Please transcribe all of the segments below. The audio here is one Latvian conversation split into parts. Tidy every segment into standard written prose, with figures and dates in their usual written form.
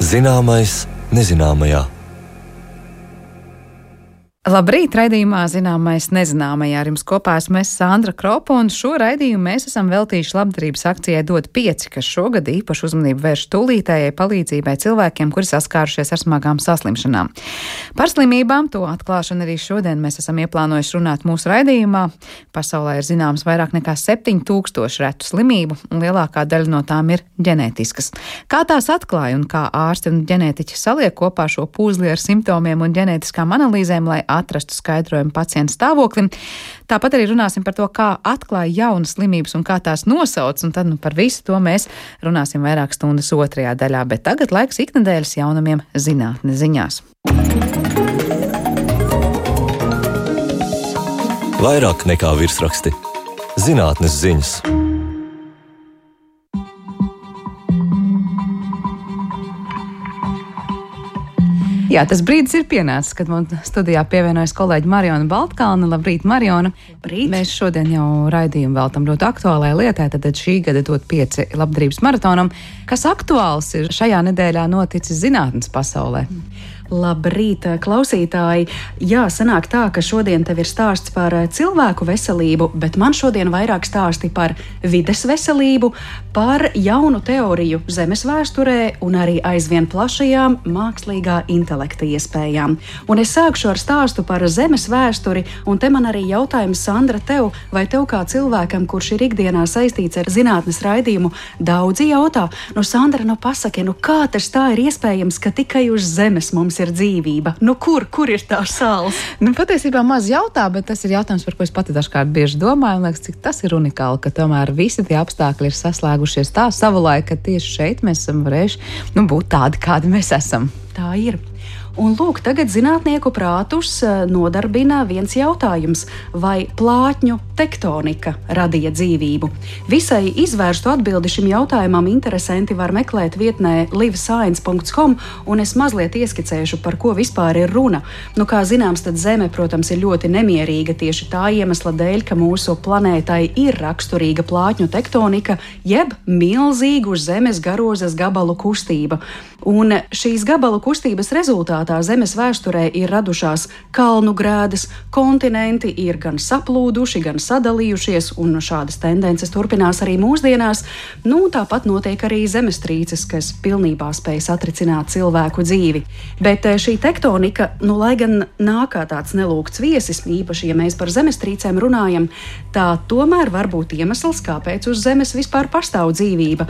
Zināmais nezināmajā. Labrīt, raidījumā Zināmais nezināmajā. Ar jums kopā esmu Sandra Kropa, un šo raidījumu mēs esam veltījuši labdarības akcijai Dod 5, kas šogad īpašu uzmanību vērš tūlītējai palīdzībai cilvēkiem, kuri saskārušies ar smagām saslimšanām. Par slimībām, to atklāšanu arī šodien mēs esam ieplānojuši runāt mūsu raidījumā. Pasaulē ir zināms vairāk nekā 7000 retu slimību, un lielākā daļa no tām ir ģenētiskas. Kā tās atklāja un kā ārsti un ģenētiķi saliek kopā šo pūzli ar simptomiem un ģenētiskām analīzēm, lai atrastu skaidrojumu pacienta stāvoklim. Tāpat arī runāsim par to, kā atklāja jaunas slimības un kā tās nosauc, un tad par visu to mēs runāsim vairāk stundas otrajā daļā. Bet tagad laiks iknedēļas jaunumiem zinātnes ziņās. Vairāk nekā virsraksti. Zinātnes ziņas. Jā, tas brīdis ir pienācis, kad mums studijā pievienojas kolēģi Mariona Baltkalne. Labrīt, Mariona! Labrīt. Mēs šodien jau raidījumu veltam ļoti aktuālai lietai, tad šī gada Dod 5 labdarības maratonam. Kas aktuāls ir šajā nedēļā noticis zinātnes pasaulē? Labrīt, klausītāji! Jā, sanāk tā, ka šodien tev ir stāsts par cilvēku veselību, bet man šodien vairāk stāsti par vides veselību, par jaunu teoriju Zemes vēsturē un arī aizvien plašajām mākslīgā intelekta iespējām. Un es sākšu ar stāstu par Zemes vēsturi, un te man arī jautājums, Sandra, tev, vai tev kā cilvēkam, kurš ir ikdienā saistīts ar zinātnes raidījumu, daudzi jautā, Sandra, pasaki, kā tas tā ir iespējams, ka tikai uz Zemes mums ir dzīvība? Kur ir tā sāls? Patiesībā maz jautā, bet tas ir jautājums, par ko es pati dažkārt bieži domāju, un liekas, cik tas ir unikāli, ka tomēr visi tie apstākļi ir saslēgušies tā savulaik, ka tieši šeit mēs esam varējuši būt tādi, kādi mēs esam. Tā ir. Un lūk, tagad zinātnieku prātus nodarbina viens jautājums, vai plātņu tektonika radīja dzīvību. Visai izvērstu atbildi šim jautājumam interesanti var meklēt vietnē livescience.com, un es mazliet ieskicēšu, par ko vispār ir runa. Kā zināms, tad Zeme, protams, ir ļoti nemierīga tieši tā iemesla dēļ, ka mūsu planētai ir raksturīga plātņu tektonika, jeb milzīgu Zemes garozas gabalu kustība. Un šīs gabalu kustības rezultātā Zemes vēsturē ir radušās kalnu grēdas, kontinenti ir gan saplūduši, gan sadalījušies, un šādas tendences turpinās arī mūsdienās. Tāpat notiek arī zemestrīces, kas pilnībā spēj satricināt cilvēku dzīvi. Bet šī tektonika, lai gan nāk kā tāds nelūgts viesis, īpaši, ja mēs par zemestrīcēm runājam, tā tomēr var būt iemesls, kāpēc uz Zemes vispār pastāv dzīvība.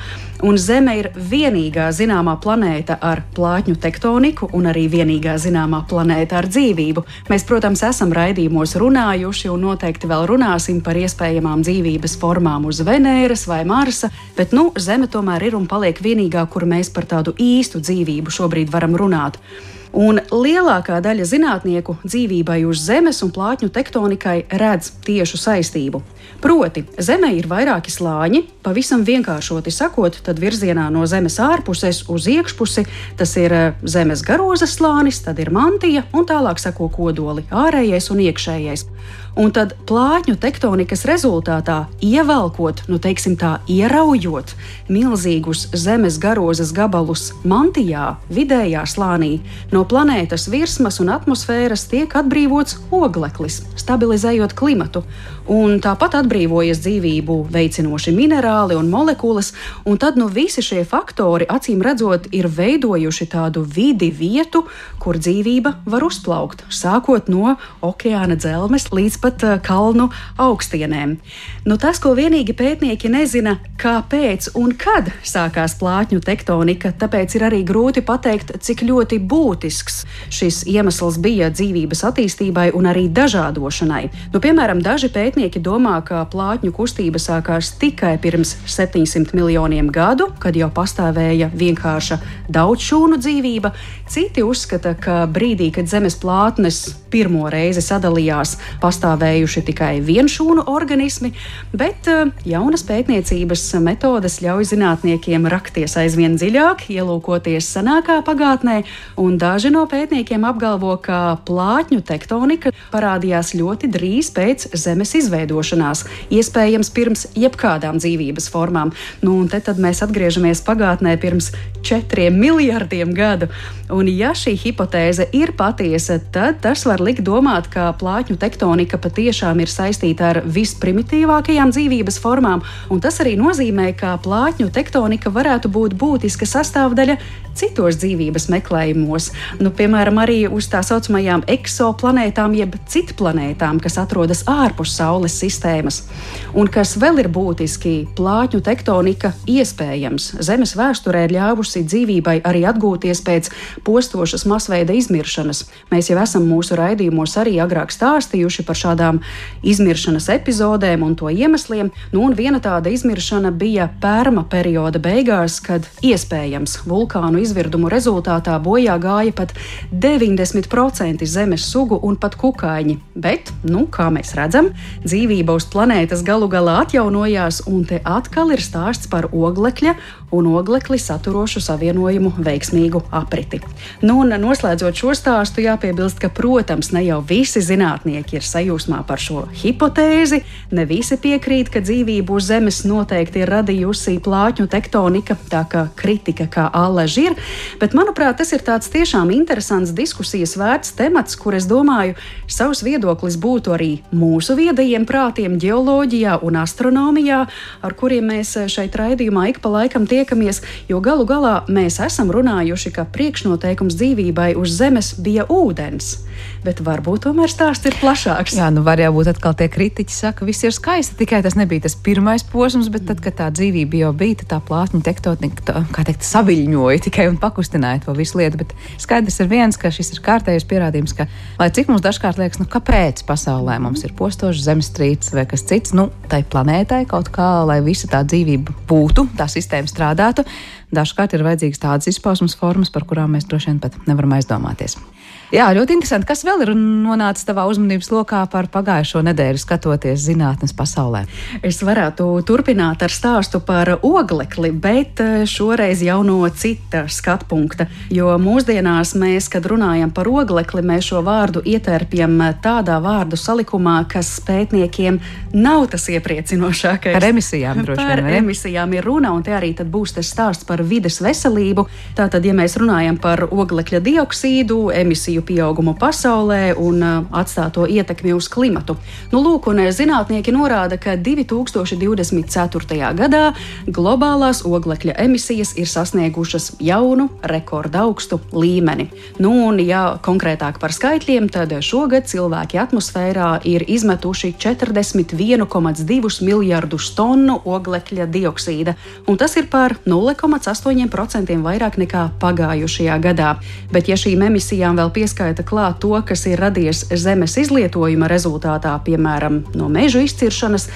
Un Zeme ir vienīgā zināmā planēta ar plātņu tektoniku un arī vienīgā zināmā planēta ar dzīvību. Mēs, protams, esam raidījumos runājuši un noteikti vēl runāsim par iespējamām dzīvības formām uz Venēras vai Marsa, bet Zeme tomēr ir un paliek vienīgā, kur mēs par tādu īstu dzīvību šobrīd varam runāt. Un lielākā daļa zinātnieku dzīvībai uz Zemes un plātņu tektonikai redz tiešu saistību. Proti, Zemē ir vairāki slāņi, pavisam vienkāršoti sakot, tad virzienā no Zemes ārpuses uz iekšpusi tas ir Zemes garozas slānis, tad ir mantija un tālāk seko kodoli, ārējais un iekšējais. Un tad plātņu tektonikas rezultātā ievelkot, ieraujot milzīgus Zemes garozas gabalus mantijā, vidējā slānī, no planētas virsmas un atmosfēras tiek atbrīvots ogleklis, stabilizējot klimatu. Un tāpat atbrīvojas dzīvību veicinoši minerāli un molekulas, un tad visi šie faktori, acīm redzot, ir veidojuši tādu vietu, kur dzīvība var uzplaukt, sākot no okeāna dzelmes līdz pat kalnu augstienēm. Tas, ko vienīgi pētnieki nezina, kāpēc un kad sākās plātņu tektonika, tāpēc ir arī grūti pateikt, cik ļoti būtisks šis iemesls bija dzīvības attīstībai un arī dažādošanai. Piemēram, daži pētnieki domā, ka plātņu kustība sākās tikai pirms 700 miljoniem gadu, kad jau pastāvēja vienkārša daudzšūnu dzīvība. Citi uzskata, ka brīdī, kad Zemes plātnes pirmo reizi sadalījās, pastāvēja pastāvējuši tikai vienšūnu organismi, bet jaunas pētniecības metodes ļauj zinātniekiem rakties aizvien dziļāk, ielūkoties senākā pagātnē, un daži no pētniekiem apgalvo, ka plātņu tektonika parādījās ļoti drīz pēc Zemes izveidošanās, iespējams pirms jebkādām dzīvības formām. Un tad mēs atgriežamies pagātnē pirms 4 miljardiem gadu. Un ja šī hipotēze ir patiesa, tad tas var likt domāt, ka plātņu tektonika patiešām ir saistīta ar visprimitīvākajām dzīvības formām, un tas arī nozīmē, ka plātņu tektonika varētu būt būtiska sastāvdaļa citos dzīvības meklējumos. Piemēram, arī uz tā saucamajām eksoplanētām jeb citplanētām, kas atrodas ārpus Saules sistēmas. Un kas vēl ir būtiski, plātņu tektonika iespējams Zemes vēsturē ir ļāvusi dzīvībai arī atgūties pēc postošas masveida izmiršanas. Mēs jau esam mūsu raidījumos arī agrāk stāstījuši par šādām izmiršanas epizodēm un to iemesliem. Un viena tāda izmiršana bija Perma perioda beigās, kad iespējams vulkānu izvirdumu rezultātā bojā gāja pat 90% Zemes sugu un pat kukaiņi. Bet, kā mēs redzam, dzīvība uz planētas galu galā atjaunojās, un te atkal ir stāsts par oglekļa un oglekli saturošu savienojumu veiksmīgu apriti. Un noslēdzot šo stāstu, jāpiebilst, ka, protams, ne jau visi zinātnieki ir sajūsmā par šo hipotēzi, ne visi piekrīt, ka dzīvību uz Zemes noteikti ir radījusi plātņu tektonika, tā kā kritika kā allaž ir, bet, manuprāt, tas ir tāds tiešām interesants diskusijas vērts temats, kur, es domāju, savs viedoklis būtu arī mūsu viedajiem prātiem ģeoloģijā un astronomijā, ar kuriem mēs šeit raidījumā ik pa laikam tiekamies, jo galu galā mēs esam runājuši, ka priekšnoteikums dzīvībai uz Zemes bija ūdens. Bet varbūt tomēr stāsts ir plašāks. Jā, var jau būt atkal tie kritiķi saka, viss ir skaisti, tikai tas nebija tas pirmais posms, bet tad, kad tā dzīvība jau bija, tā plātņu tektonika, saviļņoja tikai un pakustināja to visu lietu. Bet skaidrs ir viens, ka šis ir kārtējais pierādījums, ka, lai cik mums dažkārt liekas, kāpēc pasaulē mums ir postošs zemestrīces vai kas cits, tai planētai kaut kā, lai visa tā dzīvība būtu, tā sistēma strādātu, dažkārt ir vajadzīgas tādas izpausmes formas, par kurām mēs droši vien pat nevaram aizdomāties. Jā, ļoti interesanti. Kas vēl ir nonācis tavā uzmanības lokā par pagājušo nedēļu, skatoties zinātnes pasaulē? Es varētu turpināt ar stāstu par oglekli, bet šoreiz jau no cita skatpunkta. Jo mūsdienās mēs, kad runājam par oglekli, mēs šo vārdu ietērpjam tādā vārdu salikumā, kas pētniekiem nav tas iepriecinošākais. Par emisijām droši vien. Par emisijām ir runa, un te arī tad būs tas stāsts par vides veselību. Tātad, ja mēs runājam par oglekļa dioksīdu, emisiju pieaugumu pasaulē un atstāto ietekmi uz klimatu. Lūk, un zinātnieki norāda, ka 2024. gadā globālās oglekļa emisijas ir sasniegušas jaunu rekordaugstu līmeni. Un, ja konkrētāk par skaitļiem, tad šogad cilvēki atmosfērā ir izmetuši 41,2 miljardus tonu oglekļa dioksīda, un tas ir par 0,8% vairāk nekā pagājušajā gadā. Bet, ja šīm emisijām vēl pieskaita klāt to, kas ir radies Zemes izlietojuma rezultātā, piemēram, no mežu izciršanas,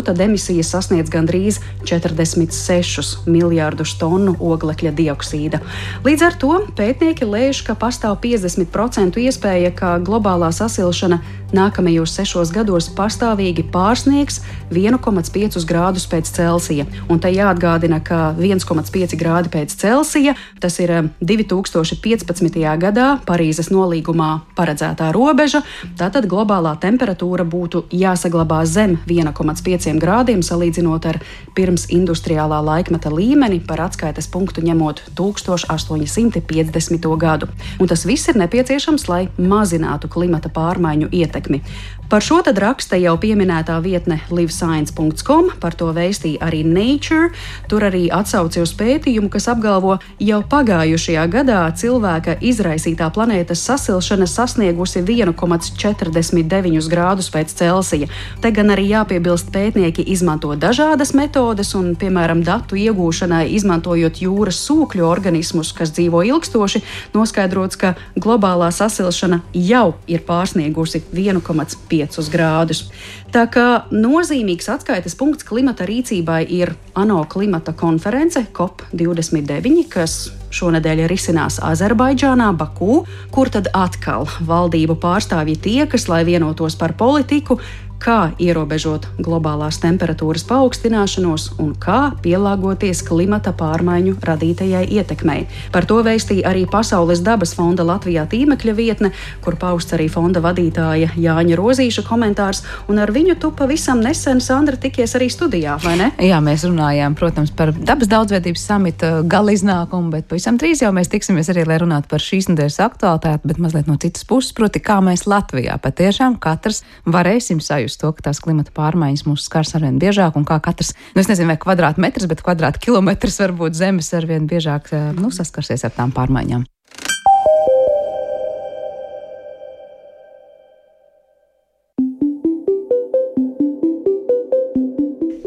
tad emisijas sasniedz gandrīz 46 miljārdus tonu oglekļa dioksīda. Līdz ar to pētnieki lēš, ka pastāv 50% iespēja, ka globālā sasilšana nākamajos 6 gados pastāvīgi pārsniegs 1,5 grādus pēc Celsija. Un te jāatgādina, ka 1,5 grādi pēc Celsija, tas ir 2015. gadā Parīzes nolīgumā paredzētā robeža, tātad globālā temperatūra būtu jāsaglabā zem 1,5 grādiem, salīdzinot ar pirms industriālā laikmeta līmeni, par atskaites punktu ņemot 1850. gadu. Un tas viss ir nepieciešams, lai mazinātu klimata pārmaiņu ietekmi. Par šo tad raksta jau pieminētā vietne livescience.com, par to vēstīja arī Nature. Tur arī atsauci uz pētījumu, kas apgalvo, jau pagājušajā gadā cilvēka izraisītā planētas sasilšana sasniegusi 1,49 grādus pēc Celsija. Te gan arī jāpiebilst, pētnieki izmanto dažādas metodes un, piemēram, datu iegūšanai izmantojot jūras sūkļu organismus, kas dzīvo ilgstoši, noskaidrots, ka globālā sasilšana jau ir pārsniegusi 1,5 5 grādus. Tā kā nozīmīgs atskaites punkts klimata rīcībai ir ANO klimata konference COP29, kas šonedēļ risinās Azerbaidžānā, Baku, kur tad atkal valdību pārstāvji tiekas, lai vienotos par politiku, kā ierobežot globālās temperatūras paaugstināšanos un kā pielāgoties klimata pārmaiņu radītajai ietekmei. Par to vēstīja arī Pasaules dabas fonda Latvijā tīmekļa vietne, kur pausts arī fonda vadītāja Jāņa Rozīša komentārs, un ar viņu tu pavisam nesen, Sandra, tikies arī studijā, vai ne? Jā, mēs runājām, protams, par dabas daudzveidības samita galiznākumu, bet pavisam drīz jau mēs tiksimies arī, lai runātu par šīs nedēļas aktualitāti, bet mazliet no citas puses, proti, kā mēs Latvijā patiešām katrs varēsim sajust to, ka tās klimata pārmaiņas mūs skars arvien biežāk un kā katrs, es nezinu, vai kvadrātmetrs, bet kvadrātkilometrs varbūt zemes arvien biežāk saskarsies ar tām pārmaiņām.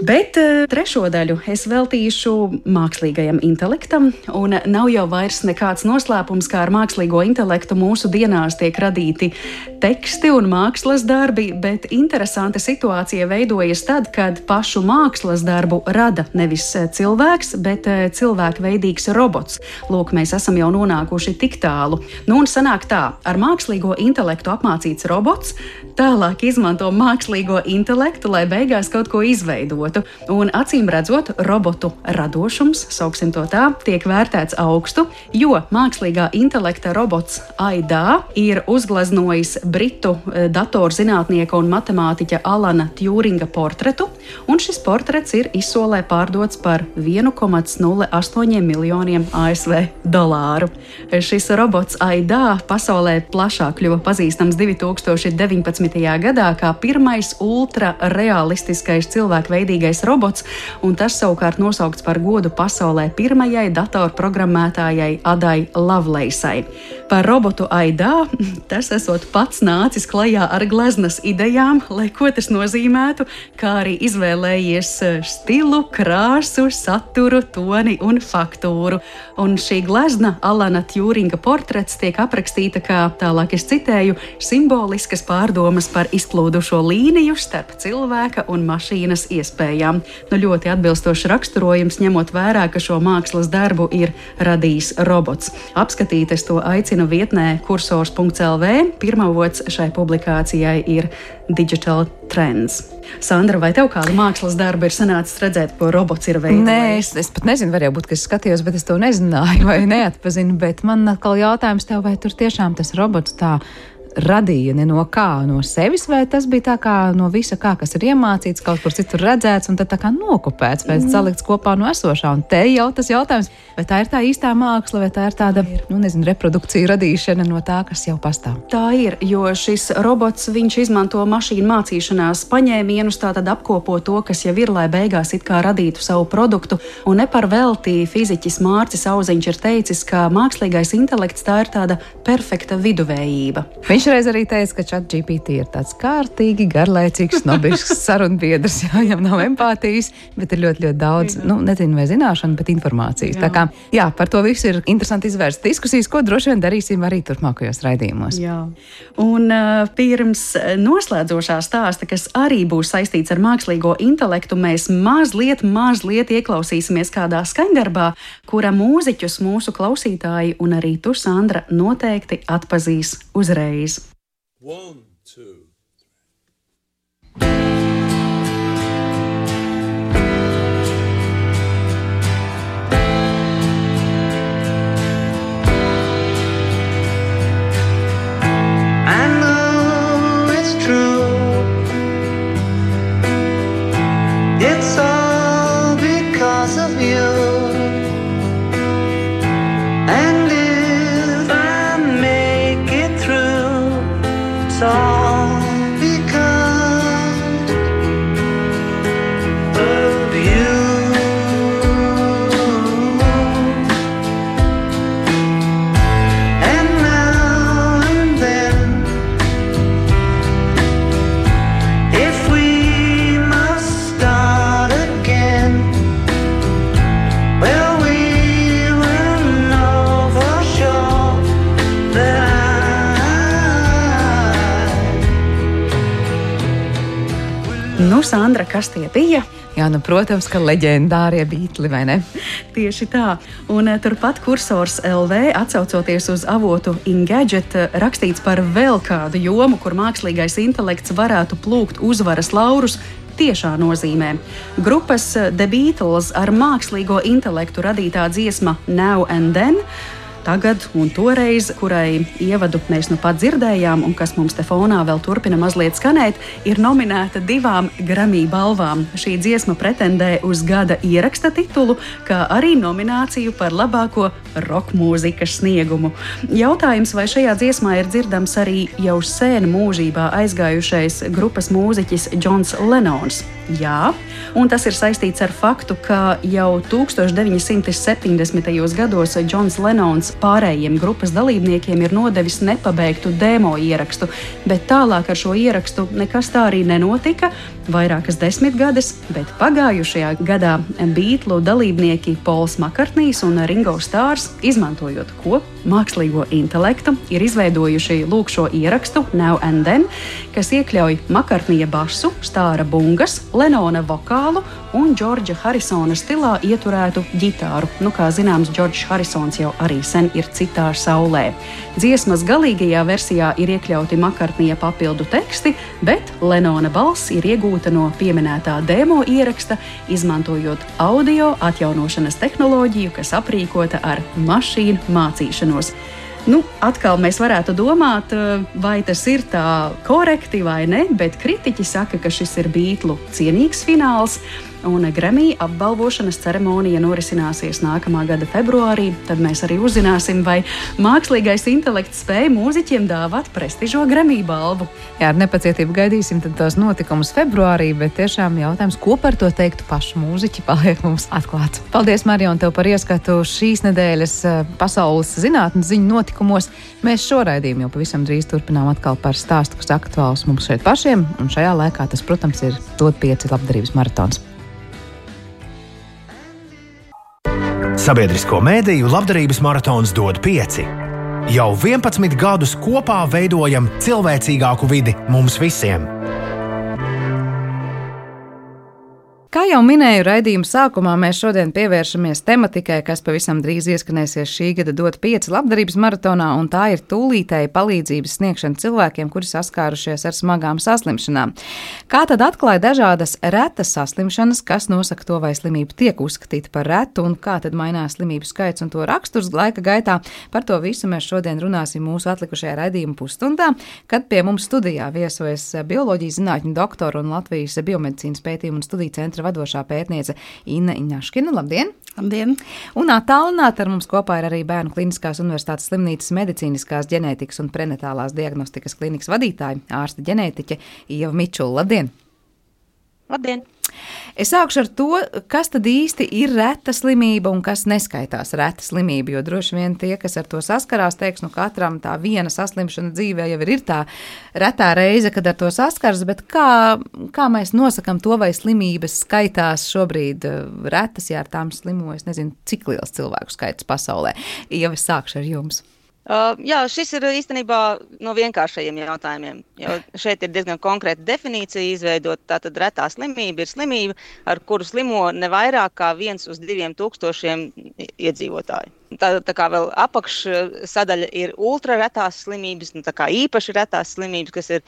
Bet trešo daļu es veltīšu mākslīgajam intelektam, un nav jau vairs nekāds noslēpums, kā ar mākslīgo intelektu mūsu dienās tiek radīti teksti un mākslas darbi, bet interesanta situācija veidojas tad, kad pašu mākslas darbu rada nevis cilvēks, bet cilvēkveidīgs robots. Lūk, mēs esam jau nonākuši tik tālu. Nu un sanāk tā, ar mākslīgo intelektu apmācīts robots tālāk izmanto mākslīgo intelektu, lai beigās kaut ko izveidotu. Un acīm redzot, robotu radošums, sauksim to tā, tiek vērtēts augstu, jo mākslīgā intelekta robots AIDA ir uzgleznojis britu datorzinātnieka un matemātiķa Alana Tjūringa portretu, un šis portrets ir izsolē pārdots par 1,08 miljoniem ASV dolāru. Šis robots AIDA pasaulē plašāk kļuva pazīstams 2019. gadā kā pirmais ultrarealistiskais cilvēkveidīgais robots, un tas savukārt nosaukts par godu pasaulē pirmajai datorprogrammētājai Adai Lovelaceai. Par robotu AIDA tas esot pats nācis klajā ar gleznas idejām, lai ko tas nozīmētu, kā arī izvēlējies stilu, krāsu, saturu, toni un faktūru. Un šī glezna, Alana Tjūringa portrets, tiek aprakstīta kā, tālāk es citēju, simboliskas pārdomas par izplūdušo līniju starp cilvēka un mašīnas iespējām. Nu, ļoti atbilstošs raksturojums, ņemot vērā, ka šo mākslas darbu ir radījis robots. Apskatīt es to aicinu vietnē kursors.lv. Pirmavots šai publikācijai ir Digital Trends. Sandra, vai tev kāda mākslas darba ir sanācis redzēt, ko robots ir veidojis? Nē, es pat nezinu, varēja būt, ka es skatījos, bet es to nezināju vai neatpazinu, bet man atkal jautājums tev, vai tur tiešām tas robots tā radīja ne no kā, no sevis, vai tas bija tā kā no visa kā, kas ir iemācīts, kaut kur citur redzēts un tad tā kā nokopēts, vai salikts kopā no esošā. Un te jau tas jautājums, vai tā ir tā īstā māksla, vai tā ir tāda, reprodukcija radīšana no tā, kas jau pastāv. Tā ir, jo šis robots, viņš izmanto mašīnu mācīšanās paņēmienus, tātad apkopo to, kas jau ir, lai beigās it kā radītu savu produktu. Un ne par velti fiziķis Mārcis Auziņš ir teicis, ka mākslīgais intelekts tā ir tāda perfekta viduvējība. Viņš reiz arī teica, ka ChatGPT ir tāds kārtīgi, garlaicīgs, snobisks sarunbiedrs, viņam nav empātijas, bet ir ļoti, ļoti daudz, nezinu vai zināšana, bet informācijas. Jā. Tā kā, par to visu ir interesanti izvērst diskusijas, ko droši vien darīsim arī turpmākajos raidījumos. Jā. Un pirms noslēdzošā stāsta, kas arī būs saistīts ar mākslīgo intelektu, mēs mazliet ieklausīsimies kādā skaņdarbā, kura mūziķus mūsu klausītāji un arī tu, Sandra, noteikti atpazīs uzreiz. 1, 2, 3. Nu, Sandra, kas tie bija? Jā, nu, protams, ka leģendārie Beatli, vai ne? Tieši tā. Un turpat kursors LV, atsaucoties uz avotu Engadget, rakstīts par vēl kādu jomu, kur mākslīgais intelekts varētu plūkt uzvaras laurus tiešā nozīmē. Grupas The Beatles ar mākslīgo intelektu radītā dziesma Now and Then, tagad un toreiz, kurai ievadu mēs nu pat dzirdējām un kas mums te fonā vēl turpina mazliet skanēt, ir nominēta 2 Grammy balvām. Šī dziesma pretendē uz gada ieraksta titulu, kā arī nomināciju par labāko rock mūzikas sniegumu. Jautājums, vai šajā dziesmā ir dzirdams arī jau sen mūžībā aizgājušais grupas mūziķis Johns Lenons? Jā, un tas ir saistīts ar faktu, ka jau 1970. gados Johns Lenons pārējiem grupas dalībniekiem ir nodevis nepabeigtu demo ierakstu, bet tālāk ar šo ierakstu nekas tā arī nenotika, vairākas desmitgades, bet pagājušajā gadā Beatlu dalībnieki Pols Makartnijs un Ringo Starrs, izmantojot ko? Mākslīgo intelektu, ir izveidojuši lūk šo ierakstu Now and Then, kas iekļauj Makartnija basu, Starra bungas, Lenona vokālu un Džordža Harisona stilā ieturētu ģitāru. Nu, kā zināms, Džordžs Harisons jau arī sen ir citā saulē. Dziesmas galīgajā versijā ir iekļauti Makartnija papildu teksti, bet Lenona balss ir iegūta no pieminētā demo ieraksta, izmantojot audio atjaunošanas tehnoloģiju, kas aprīkota ar mašīnu mācīšanos. Nu, atkal mēs varētu domāt, vai tas ir tā korekti vai ne, bet kritiķi saka, ka šis ir Beatlu cienīgs fināls, un Grammy apbalvošanas ceremonija norisināsies nākamā gada februārī. Tad mēs arī uzzināsim, vai mākslīgais intelekts spēja mūziķiem dāvāt prestižo Grammy balvu. Jā, ar nepacietību gaidīsim tos notikumus februārī, bet tiešām jautājums, ko par to teiktu paši mūziķi, paliek mums atklāts. Paldies, Marion, tev par ieskatu šīs nedēļas pasaules zinātnes ziņu notikumos. Mēs šo raidījumu jau pavisam drīz turpinām atkal par stāstu, kas aktuāls mums šeit pašiem, un šajā laikā tas, protams, ir Dod 5 labdarības maratons. Sabiedrisko mēdīju labdarības maratons Dod 5. Jau 11 gadus kopā veidojam cilvēcīgāku vidi mums visiem. Kā jau minēju raidījuma sākumā, mēs šodien pievēršamies tematikai, kas pavisam drīz ieskanēsies šī gada Dod 5 labdarības maratonā, un tā ir tūlītēja palīdzības sniegšana cilvēkiem, kuri saskārušies ar smagām saslimšanām. Kā tad atklāja dažādas retas saslimšanas, kas nosaka to, vai slimība tiek uzskatīta par retu, un kā tad mainās slimību skaits un to raksturs laika gaitā? Par to visu mēs šodien runāsim mūsu atlikušajā raidījuma pusstundā, kad pie mums studijā viesojas bioloģijas zinātņu doktora un Latvijas biomedicīnas pētījumu un studiju centra vadošā pētniece Inna Iņaškina. Labdien! Labdien! Un attālināti ar mums kopā ir arī Bērnu Kliniskās universitātes slimnīcas medicīniskās ģenētikas un prenatālās diagnostikas klinikas vadītāja, ārste ģenētiķe Ieva Mičula. Labdien! Labdien! Es sākšu ar to, kas tad īsti ir reta slimība un kas neskaitās reta slimība, jo droši vien tie, kas ar to saskarās, teiks, nu katram tā viena saslimšana dzīvē jau ir tā retā reize, kad ar to saskars, bet kā mēs nosakam to, vai slimības skaitās šobrīd retas, ja ar tām slimo, es nezinu, cik liels cilvēku skaits pasaulē. Ja es sākšu ar jums. Jā, šis ir īstenībā no vienkāršajiem jautājumiem, jo šeit ir diezgan konkrēta definīcija izveidot. Tātad retā slimība ir slimība, ar kuru slimo ne vairāk kā 1 uz 2000 iedzīvotāju. Tā kā vēl apakšsadaļa ir ultraretās slimības, tā kā īpaši retās slimības, kas ir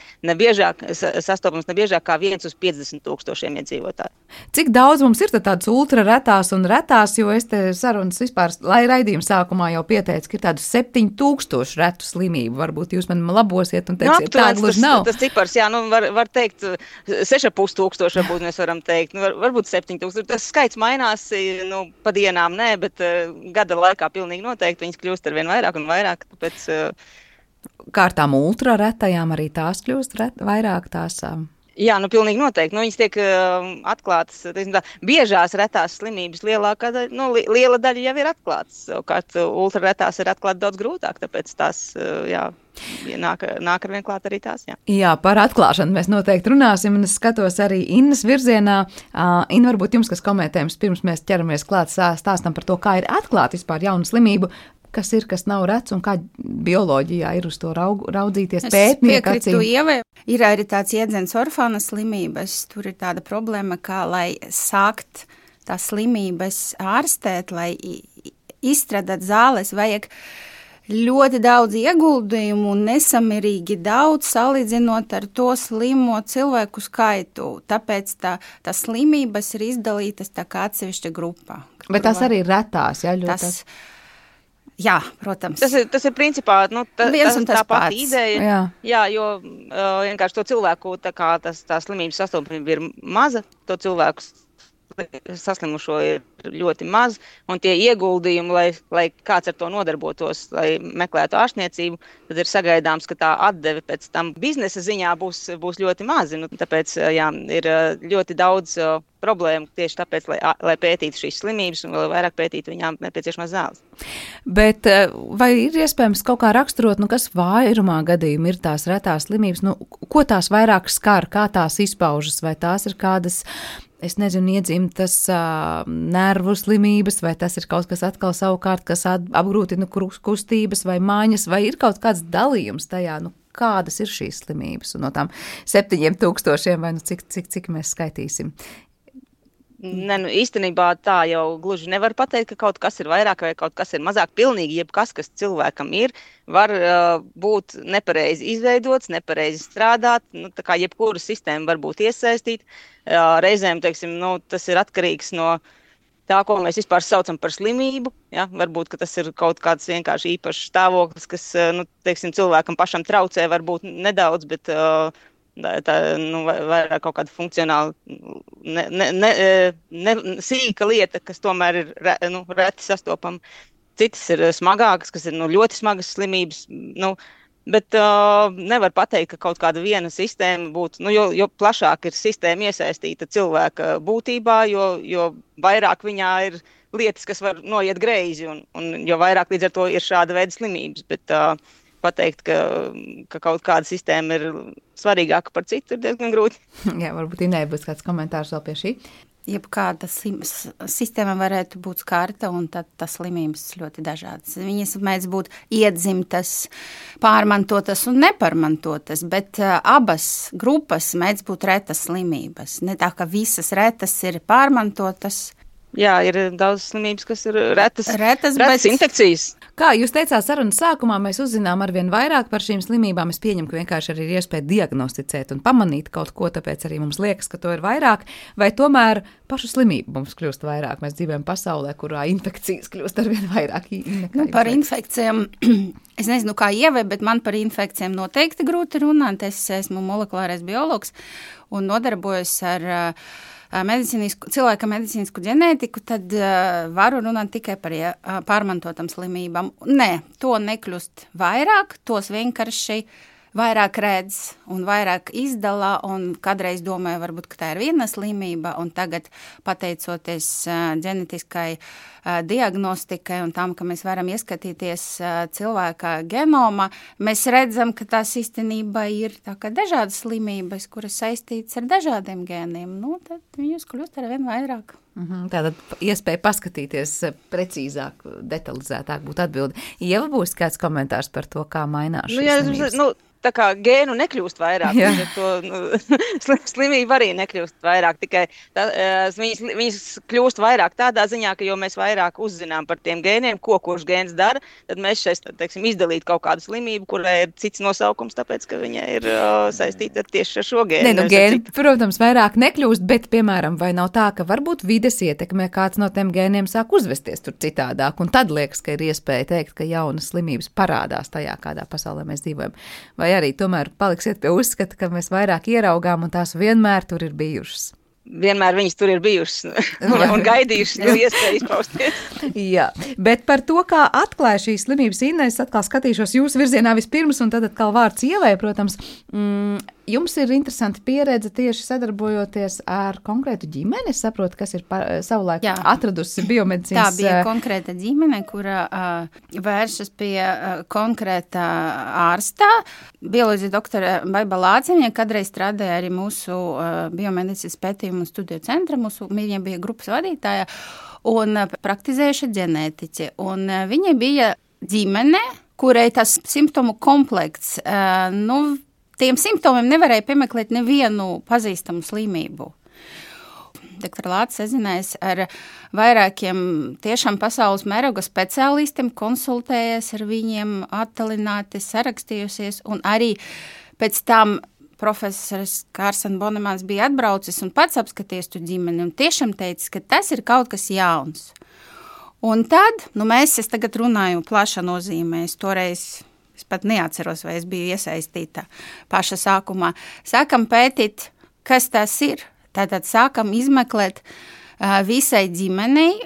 sastopams nebiežāk kā 1 uz 50,000 iedzīvotāju. Cik daudz mums ir tādas ultraretās un retās, jo es te sarunas vispār, lai raidījuma sākumā jau pieteicu, ka ir tādu 7,000 retu slimību. Varbūt jūs man labosiet un teiksiet, tā gluži nav. Tas cipars, jā, var teikt 6,500, varbūt mēs varam teikt, varbūt 7,000. Tas skaits mainās, pa dienām nē, bet gada laikā pilnīgi noteikti viņas kļūst ar vien vairāk un vairāk, tāpēc... Kā ar tām ultraretajām arī tās kļūst vairāk tās... Jā, pilnīgi noteikti. Viņas tiek atklātas, biežās retās slimības liela daļa jau ir atklātas. Savukārt ultraretās ir atklāt daudz grūtāk, tāpēc tās, nāk ar vien klāt arī tās, jā. Jā, par atklāšanu mēs noteikti runāsim, un es skatos arī Innas virzienā. Inna, varbūt jums, kas komentējums, pirms mēs ķeramies klāt stāstam par to, kā ir atklāt vispār jaunu slimību. kas ir, kas nav rets, un kā bioloģijā ir uz to raudzīties pētnieku acīm? Es piekrītu Ievai. Ir arī tāds jēdziens orfāna slimības. Tur ir tāda problēma, kā lai sākt tās slimības ārstēt, lai izstrādāt zāles, vajag ļoti daudz ieguldījumu un nesamērīgi daudz salīdzinot ar to slimo cilvēku skaitu. Tāpēc tā slimības ir izdalītas tā kā atsevišķa grupā. Bet tās arī ir retās, ja? Jā, protams. Tas ir principā tā pati ideja. Jā, jo vienkārši to cilvēku tā slimības sastopamība ir maza, to cilvēku saslimušo ir ļoti maz, un tie ieguldījumi, lai kāds ar to nodarbotos, lai meklētu ārstniecību, tad ir sagaidāms, ka tā atdeve pēc tam biznesa ziņā būs ļoti mazi. Tāpēc ir ļoti daudz problēmu tieši tāpēc, lai pētītu šīs slimības un vēl vairāk pētītu viņām nepieciešamās zāles. Bet vai ir iespējams kaut kā raksturot, kas vairumā gadījumā ir tās retās slimības, ko tās vairāk skar, kā tās izpaužas, vai tās ir kādas, es nezinu, iedzimtas nervu slimības, vai tas ir kaut kas atkal savukārt, kas apgrūtina kustības vai mājas, vai ir kaut kāds dalījums tajā, kādas ir šīs slimības, un no tām 7,000 vai cik mēs skaitīsim? Īstenībā tā jau gluži nevar pateikt, ka kaut kas ir vairāk vai kaut kas ir mazāk. Pilnīgi jebkas, kas cilvēkam ir, var būt nepareizi izveidots, nepareizi strādāt, tā kā jebkura sistēma var būt iesaistīta. Reizēm, tas ir atkarīgs no tā, ko mēs vispār saucam par slimību. Ja? Varbūt, ka tas ir kaut kāds vienkārši īpašs stāvoklis, kas, cilvēkam pašam traucē varbūt nedaudz, bet vairāk kaut kāda funkcionāla, sīka lieta, kas tomēr ir reti sastopama. Citas ir smagākas, kas ir ļoti smagas slimības, bet nevar pateikt, ka kaut kāda viena sistēma būtu, jo plašāk ir sistēma iesaistīta cilvēka būtībā, jo vairāk viņā ir lietas, kas var noiet greizi, un jo vairāk līdz ar to ir šāda veida slimības, bet pateikt, ka kaut kāda sistēma ir svarīgāka par citu, ir diezgan grūti. Jā, varbūt Inai būs kāds komentārs vēl pie šī. Jebkāda sistēma varētu būt skarta, un tad tas slimības ļoti dažādas. Viņas mēdz būt iedzimtas, pārmantotas un nepārmantotas, bet abas grupas mēdz būt retas slimības. Ne tā, ka visas retas ir pārmantotas. Jā, ir daudz slimības, kas ir retas bet infekcijas. Kā jūs teicāt sarunas sākumā, mēs uzzinām arvien vairāk par šīm slimībām. Es pieņemu, ka vienkārši arī ir iespēja diagnosticēt un pamanīt kaut ko, tāpēc arī mums liekas, ka to ir vairāk. Vai tomēr pašu slimību mums kļūst vairāk? Mēs dzīvojam pasaulē, kurā infekcijas kļūst arvien vairāk. Par infekcijām, es nezinu, kā Ievai, bet man par infekcijām noteikti grūti runāt. Es esmu molekulārais biologs un nodarbojos ar cilvēka medicīnisku ģenētiku, tad varu runāt tikai par pārmantotam slimībām. Nē, to nekļūst vairāk, tos vienkārši vairāk redz un vairāk izdala, un kādreiz domāju, varbūt, ka tā ir viena slimība, un tagad, pateicoties ģenetiskai diagnostikai un tam, ka mēs varam ieskatīties cilvēka genoma, mēs redzam, ka tās īstenībā ir tā kā dažādas slimības, kuras saistītas ar dažādiem gēniem. Tad viņus kļūst ar vien vairāk. Tātad iespēja paskatīties precīzāk, detalizētāk būtu atbildi. Ieva, būs kāds komentārs par to, kā mainās šīs slimības? Tā kā gēnu nekļūst vairāk, slimība arī nekļūst vairāk, tikai viņas kļūst vairāk tādā ziņā, ka jo mēs vairāk uzzinām par tiem gēniem, kurš gēns dara, tad mēs šeit, izdalīt kaut kādu slimību, kurai ir cits nosaukums, tāpēc, ka viņa ir saistīta tieši ar šo gēnu. Gēni, protams, vairāk nekļūst, bet, piemēram, vai nav tā, ka varbūt vides ietekmē kāds no tiem gēniem sāk uzvesties tur citādāk, un tad liekas, ka ir iespēja teikt, ka jaunas slimības parādās tajā, kādā pasaulē mēs dzīvojam. Vai arī tomēr paliksiet pie uzskata, ka mēs vairāk ieraugām un tās vienmēr tur ir bijušas? Vienmēr viņas tur ir bijušas un gaidījušas, jo iespēja izpausties. Jā, bet par to, kā atklāja šīs slimības, Inna, es atkal skatīšos jūsu virzienā vispirms, un tad atkal vārds Ievai, protams. Jums ir interesanti pieredze tieši sadarbojoties ar konkrētu ģimeni. Es saprotu, kas ir savulaik atradusi biomedicīnas. Tā bija konkrēta ģimene, kura vēršas pie konkrētā ārstā. Bioloģija doktora Baiba Lāciņa kādreiz strādāja arī mūsu biomedicīnas pētījumu studiju centra. Viņa bija grupas vadītāja un praktizējuša ģenētiķi. Un viņa bija ģimene, kurai tas simptomu komplekts, tiem simptomiem nevarēja piemeklēt nevienu pazīstamu slimību. Dr. Lācis sazinājās ar vairākiem tiešām pasaules mēroga speciālistiem, konsultējies ar viņiem, attālināti, sarakstījusies, un arī pēc tam profesors Kārsens Bonemans bija atbraucis un pats apskaties tu ģimeni un tiešām teicis, ka tas ir kaut kas jauns. Un tad, es tagad runāju plaša nozīmē, es pat neatceros, vai es biju iesaistīta paša sākumā. Sākam pētīt, kas tas ir. Tātad sākam izmeklēt visai ģimenei,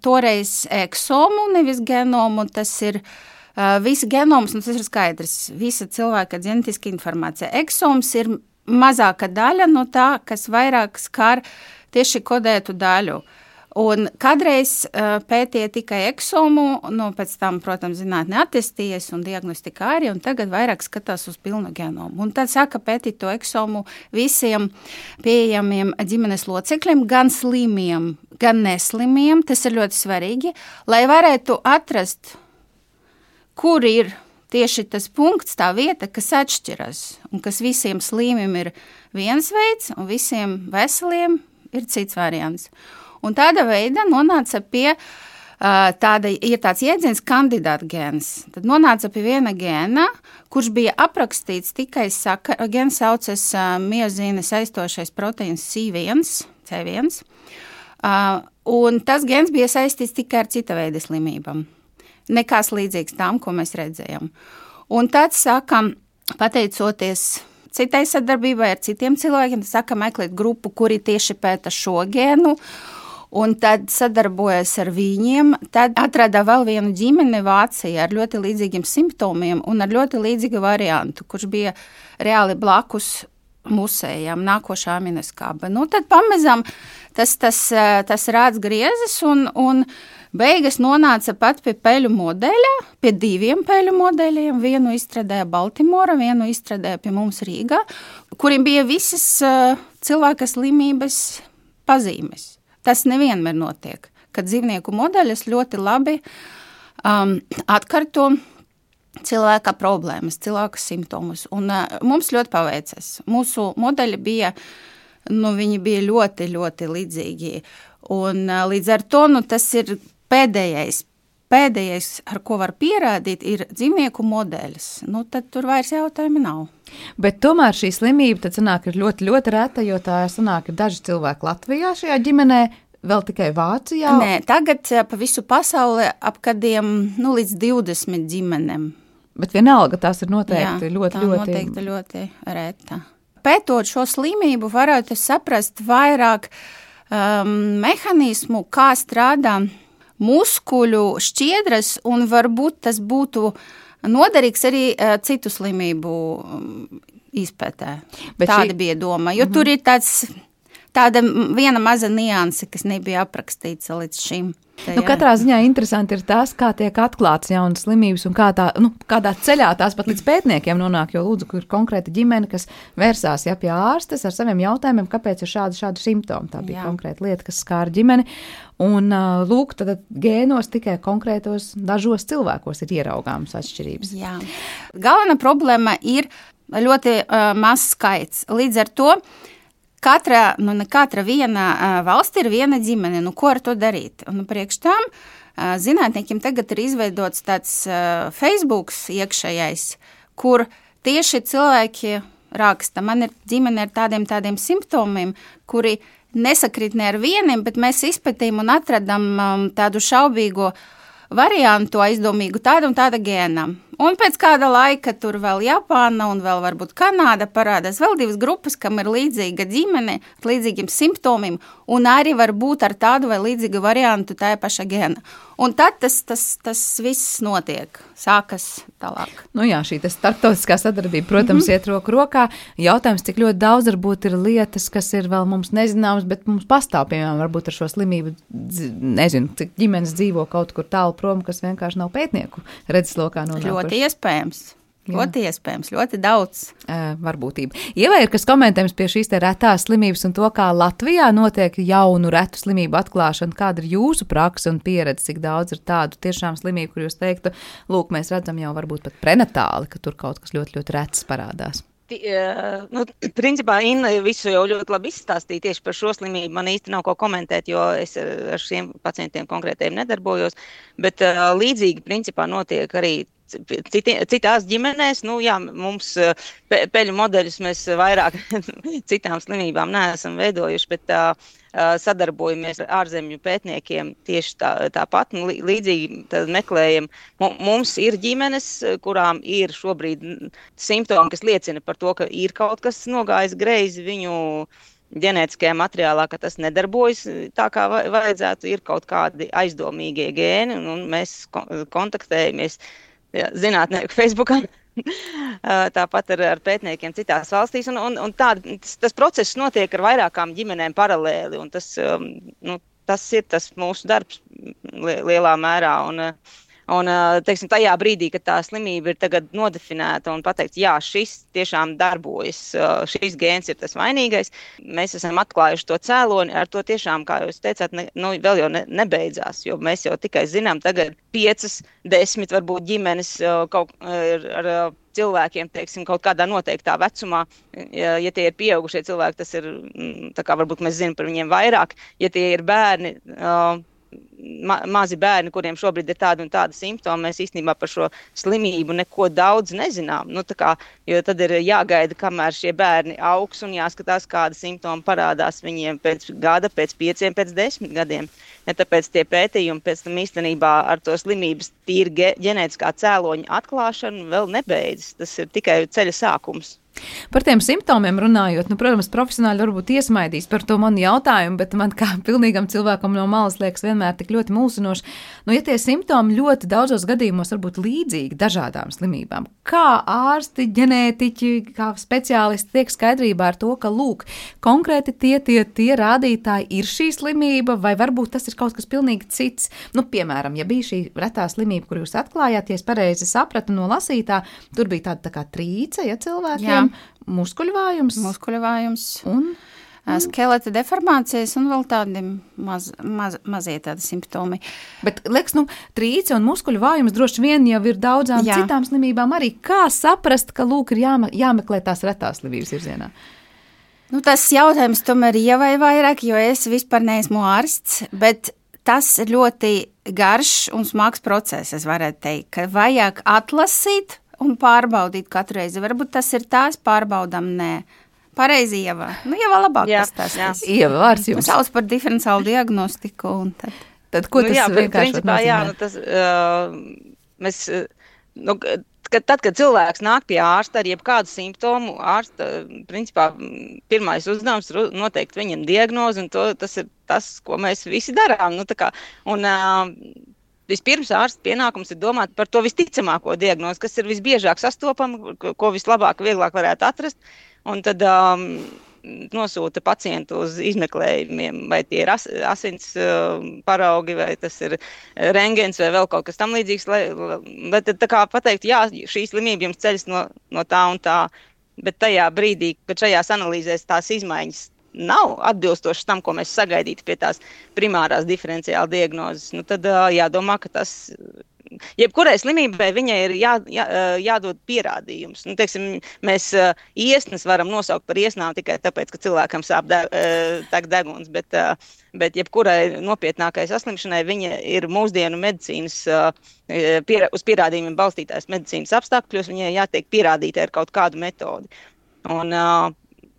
toreiz eksomu, nevis genomu, tas ir visi genoms, tas ir skaidrs, visa cilvēka ģenetiska informācija. Eksoms ir mazāka daļa no tā, kas vairāk skar tieši kodētu daļu. Un kādreiz pētīja tikai eksomu, pēc tam, protams, zinātne attīstījies un diagnostika arī, un tagad vairāk skatās uz pilnu genomu. Un tad sāka pētīt to eksomu visiem pieejamiem ģimenes locekļiem, gan slimiem, gan neslimiem. Tas ir ļoti svarīgi, lai varētu atrast, kur ir tieši tas punkts, tā vieta, kas atšķiras, un kas visiem slimiem ir viens veids, un visiem veseliem ir cits variants. Un tāda veida nonāca pie ir tāds jēdziens kandidāta gēns. Tad nonāca pie viena gēna, kurš bija aprakstīts tikai gēns saucas miozīna saistošais proteīns C1. Un tas gēns bija saistīts tikai ar cita veida slimībām. Nekās līdzīgs tām, ko mēs redzējām. Un tad sākam, pateicoties citai sadarbībai ar citiem cilvēkiem, sākam meklēt grupu, kuri tieši pēta šo gēnu, un tad sadarbojas ar viņiem, tad atrada vēl vienu ģimeni Vācijā ar ļoti līdzīgiem simptomiem un ar ļoti līdzīgu variantu, kurš bija reāli blakus musējām, nākošā aminoskāba. Tad pamazām tas rāds griezes un beigas nonāca pat pie peļu modeļa, pie 2 peļu modeļiem. Vienu izstrādāja Baltimora, vienu izstrādāja pie mums Rīgā, kuriem bija visas cilvēka slimības pazīmes. Tas nevienmēr notiek, kad dzīvnieku modeļas ļoti labi atkarto cilvēka problēmas, cilvēka simptomus. Un mums ļoti paveicas. Mūsu modeļi bija, viņi bija ļoti, ļoti līdzīgi. Un līdz ar to, tas ir pēdējais, ar ko var pierādīt, ir dzīvnieku modeļas. Tad tur vairs jautājumi nav. Bet tomēr šī slimība tad sanāk ir ļoti, ļoti reta, jo tā sanāk ir daži cilvēki Latvijā šajā ģimenē, vēl tikai Vācijā. Nē, tagad pa visu pasauli ap kādiem līdz 20 ģimenēm. Bet vienalga tās ir noteikti ļoti reta. Pētot šo slimību, varētu saprast vairāk mehānismu, kā strādā muskuļu šķiedras, un varbūt tas būtu noderīgs arī citu slimību izpētē. Tāda bija doma, jo tur ir tāda viena maza nianse, kas nebija aprakstīts līdz šim. Katrā ziņā interesanti ir tas, kā tiek atklāts jaunas slimības un kādā ceļā tās pat līdz pētniekiem nonāk, jo lūdzu, kur ir konkrēta ģimene, kas vērsās pie ārstes ar saviem jautājumiem, kāpēc ir šādi simptomi. Tā bija konkrēta lieta, kas skāra ģimeni. Un lūk, tad gēnos tikai konkrētos dažos cilvēkos ir ieraugāmas atšķirības. Jā. Galvenā problēma ir ļoti mazs skaits. Līdz ar to katra viena valsts ir viena ģimene. Ko ar to darīt? Priekš tam zinātniekiem tagad ir izveidots tāds Facebooks iekšējais, kur tieši cilvēki raksta, man ir ģimene ar tādiem simptomiem, kuri nesakrīt ne ar vieniem, bet mēs izpētījām un atradām tādu šaubīgu variantu, aizdomīgu tādu un tāda gēna. Un pēc kāda laika tur vēl Japāna un vēl varbūt Kanāda parādās vēl 2 grupas, kam ir līdzīga ģimene, ar līdzīgiem simptomiem, un arī var būt ar tādu vai līdzīgu variantu tā paša gēna. Un tad tas viss notiek, sākas tālāk. Šī starptautiskā sadarbība, protams, iet roku rokā. Jautājums, cik ļoti daudz varbūt ir lietas, kas ir vēl mums nezināmas, bet mums pastāv, piemēram, varbūt ar šo slimību, nezinu, cik ģimenes dzīvo kaut kur tālu prom, kas vienkārši nav pētnieku redzeslokā nonākuši. Ļoti iespējams. Ļoti iespējams, ļoti daudz. Varbūtība. Ievai ir kas komentējums pie šīs te retās slimības un to, kā Latvijā notiek jaunu retu slimību atklāšana. Kāda ir jūsu praksa un pieredze, cik daudz ir tādu tiešām slimību, kur jūs teiktu, lūk, mēs redzam jau varbūt pat prenatāli, ka tur kaut kas ļoti, ļoti rets parādās? Principā Inna visu jau ļoti labi izstāstīja tieši par šo slimību. Man īsti nav ko komentēt, jo es ar šiem pacientiem konkrētiem nedarbojos, bet līdzīgi principā notiek arī citās ģimenēs. Mums peļu modeļus mēs vairāk citām slimībām neesam veidojuši, bet sadarbojamies ar ārzemju pētniekiem tieši tāpat. Līdzīgi tad meklējam. Mums ir ģimenes, kurām ir šobrīd simptomi, kas liecina par to, ka ir kaut kas nogājis greizi viņu ģenētiskajā materiālā, ka tas nedarbojas tā, kā vajadzētu. Ir kaut kādi aizdomīgie gēni, un mēs kontaktējamies zinātnieku Facebookā. Tāpat ar pētniekiem citās valstīs, un tas process notiek ar vairākām ģimenēm paralēli, un tas ir tas mūsu darbs lielā mērā, un teiksim, tajā brīdī, kad tā slimība ir tagad nodefinēta un pateikts, jā, šis tiešām darbojas, šis gēns ir tas vainīgais, mēs esam atklājuši to cēloni, ar to tiešām, kā jūs teicāt, vēl jau nebeidzās, jo mēs jau tikai zinām tagad 5, 10 varbūt ģimenes ar cilvēkiem, teiksim, kaut kādā noteiktā vecumā, ja tie ir pieaugušie cilvēki, tas ir, tā kā varbūt mēs zinām par viņiem vairāk, ja tie ir bērni, mazi bērni, kuriem šobrīd ir tādi un tādi simptomi, mēs īstenībā par šo slimību neko daudz nezinām. Jo tad ir jāgaida, kamēr šie bērni augs un jāskatās, kādi simptomi parādās viņiem pēc gada, pēc 5, pēc 10 gadiem. Ja tāpēc tie pētījumi pēc tam īstenībā ar to slimības tīri ģenētiskā cēloņa atklāšanu vēl nebeidzas. Tas ir tikai ceļa sākums. Par tiem simptomiem runājot, protams, profesionāļi varbūt iesmaidīs par to manu jautājumu, bet man kā pilnīgam cilvēkam no malas liekas vienmēr tik ļoti mulsinoši. Ja tie simptomi ļoti daudzos gadījumos var būt līdzīgi dažādām slimībām, kā ārsti, ģenētiķi, kā speciālisti tiek skaidrībā ar to, ka, lūk, konkrēti tie rādītāji ir šī slimība, vai varbūt tas ir kaut kas pilnīgi cits. Piemēram, ja bija šī retā slimība, kur jūs atklājāt, ja es pareizi sapratu no lasītā, tur bija tāda tā kā trīce, ja cilvēkiem. Muskuļvājums un skeleta deformācijas un vēl tādi mazie tādi simptomi. Bet, liekas, trīce un muskuļvājums droši vien jau ir daudzām citām slimībām arī. Kā saprast, ka, lūk, ir jāmeklē tās retās slimības virzienā? Tas jautājums tomēr Ievai vairāk, jo es vispār neesmu ārsts, bet tas ir ļoti garš un smags process, es varētu teikt, ka vajag atlasīt un pārbaudīt katru reizi. Varbūt tas ir tās pārbaudam, nē. Pareizi, Ieva. Ieva labāk pastāstīs. Ieva, vārds jums. Sauc par diferenciālu diagnostiku un tad. Tad ko tas vienkārši nozīmē? Tad, kad cilvēks nāk pie ārsta ar jebkādu simptomu, ārsta, principā, pirmais uzdevums ir noteikt viņam diagnozi, un tas ir tas, ko mēs visi darām. Vispirms ārsta pienākums ir domāt par to visticamāko diagnozi, kas ir visbiežāk sastopama, ko vislabāk, vieglāk varētu atrast, un tad nosūta pacientu uz izmeklējumiem, vai tie ir asins paraugi, vai tas ir rengens, vai vēl kaut kas tam līdzīgs, bet tā kā pateikt, jā, šī slimība jums ceļas no tā un tā, bet tajā brīdī, kad šajās analīzēs tās izmaiņas nav atbilstošas tam, ko mēs sagaidītu pie tās primārās diferenciāla diagnozes, tad jādomā, ka tas jebkurai slimībai viņai ir jādod pierādījums. Teiksim, mēs iesnas varam nosaukt par iesnām tikai tāpēc, ka cilvēkam sāp deguns, bet jebkurai nopietnākai saslimšanai viņa ir mūsdienu medicīnas, uz pierādījumiem balstītās medicīnas apstākļos, viņai jātiek pierādītai ar kaut kādu metodi.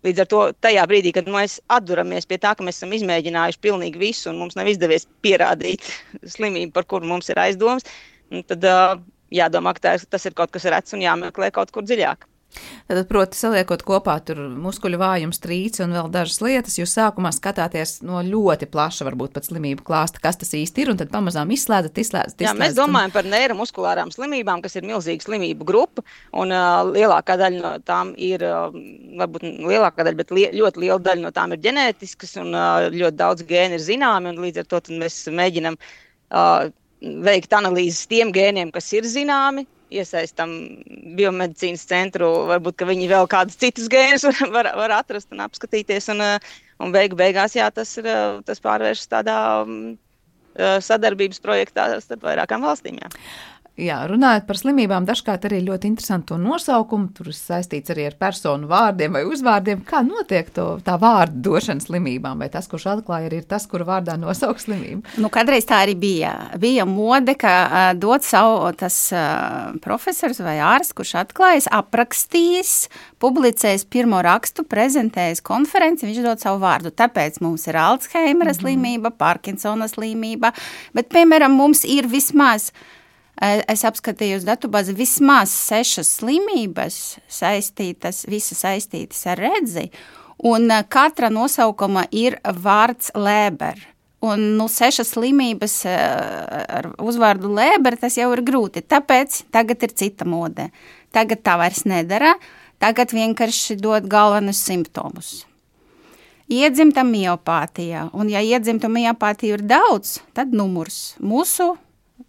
Līdz ar to tajā brīdī, kad mēs atduramies pie tā, ka mēs esam izmēģinājuši pilnīgi visu un mums nav izdevies pierādīt slimību, par kuru mums ir aizdomas, tad jādomā, ka tas ir kaut kas rets un jāmeklē kaut kur dziļāk. Tad, proti, saliekot kopā tur muskuļu vājums, trīce un vēl dažas lietas, jūs sākumā skatāties no ļoti plaša, varbūt pat slimību klāsta, kas tas īsti ir, un tad pamazām izslēdzat. Jā, mēs domājam par neiromuskulārām slimībām, kas ir milzīga slimību grupa, un lielākā daļa no tām ir, varbūt lielākā daļa, bet ļoti liela daļa no tām ir ģenētiskas, un ļoti daudz gēni ir zināmi, un līdz ar to tad mēs mēģinam veikt analīzes tiem gēniem, kas ir zināmi, iesaistam biomedicīnas centru, varbūt, ka viņi vēl kādus citus gēnus var atrast un apskatīties, un beigās, jā, tas pārvēršas tādā sadarbības projektā starp vairākām valstīm, jā. Jā, runājot par slimībām, dažkārt arī ļoti interesantu nosaukumu, tur saistīts arī ar personu vārdiem vai uzvārdiem. Kā notiek tā vārdu došana slimībām? Vai tas, kurš atklāja, arī ir tas, kura vārdā nosaukt slimību? Nu, kādreiz tā arī bija. Bija mode, ka dot savu tas profesors vai ārsts, kurš atklājas, aprakstījis, publicējis pirmo rakstu, prezentējis konferenci, viņš dod savu vārdu. Tāpēc mums ir Alzheimera slimība, Parkinsona slimība, bet, piemēram, mums ir vismaz... Es apskatīju uz datubāzi vismaz 6 slimības visas saistītas ar redzi, un katra nosaukuma ir vārds Lēber. Un 6 slimības ar uzvārdu Lēber, tas jau ir grūti, tāpēc tagad ir cita mode. Tagad tā vairs nedara, tagad vienkārši dod galvenus simptomus. Iedzimta miopātija, un ja iedzimta miopātija ir daudz, tad numurs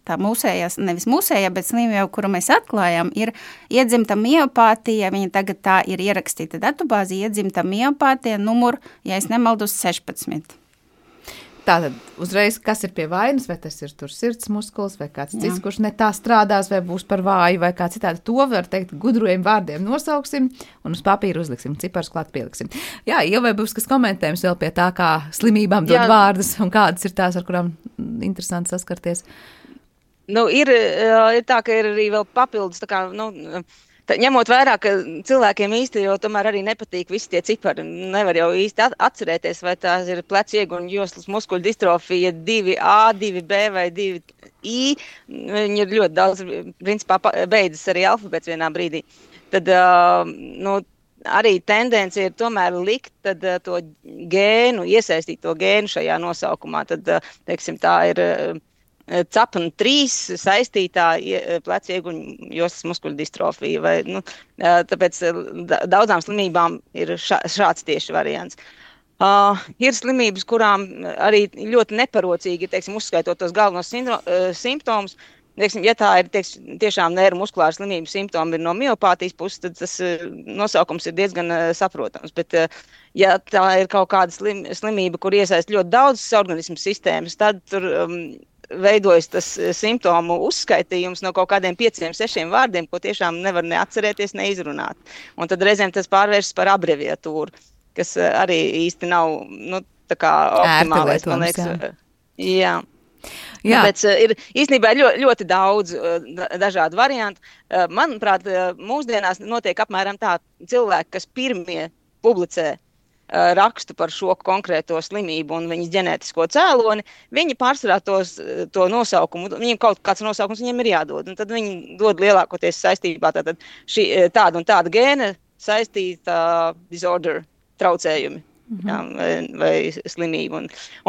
tā mūsējās, nevis mūsējā, bet slimība, kuru mēs atklājām, ir iedzimta miopātija, viņa tagad tā ir ierakstīta datubāzi, iedzimta miopātija, numur, ja es nemaldos, 16. Tātad uzreiz, kas ir pie vainas, vai tas ir tur sirds muskulis, vai kāds cits, kurš ne tā strādās, vai būs par vāju, vai kā citādi, to var teikt gudriem vārdiem nosauksim un uz papīra uzliksim, ciparus klāt pieliksim. Jā, jau vai būs kas komentējums vēl pie tā, kā slimībām dod vārdus un kādas ir tās, ar kurām interesanti saskarties? Nu, ir tā, ka ir arī vēl papildus, tā kā, ņemot vērā, ka cilvēkiem īsti jau tomēr arī nepatīk visi tie cipari. Nevar jau īsti atcerēties, vai tās ir plecu ieguņu joslas muskuļu distrofija 2A, 2B vai 2I. Viņi ir ļoti daudz, principā, beidzas arī alfabēts vienā brīdī. Tad, arī tendence ir tomēr likt to gēnu, iesaistīt to gēnu šajā nosaukumā. Tad, teiksim, tā ir... CAPN3 saistītā plecu ieguņu joslas muskuļu distrofija. Tāpēc daudzām slimībām ir šāds tieši variants. Ir slimības, kurām arī ļoti neparocīgi, teiksim, uzskaitot tos galvenos simptomus. Teiksim, ja tā ir tiešām neiromuskulāra slimība, simptomi ir no miopātijas puses, tad tas nosaukums ir diezgan saprotams. Bet, ja tā ir kaut kāda slimība, kur iesaist ļoti daudzas organismu sistēmas, tad tur veidojas tas simptomu uzskaitījums no kaut kādiem 5-6 vārdiem, ko tiešām nevar neatcerēties, neizrunāt. Un tad reizēm tas pārvēršas par abreviatūru, kas arī īsti nav, tā kā optimālais, man liekas. Jā. Tāpēc ir īstenībā ļoti daudz dažādu variantu. Manuprāt, mūsdienās notiek apmēram tā cilvēki, kas pirmie publicē rakstu par šo konkrēto slimību un viņas ģenētisko cēloni, viņi pārsvarā to nosaukumu, viņiem kaut kāds nosaukums viņiem ir jādod, un tad viņi dod lielākoties saistībā tātad tāda un tāda gēna saistīta disorder traucējumi. Jā, vai slimību.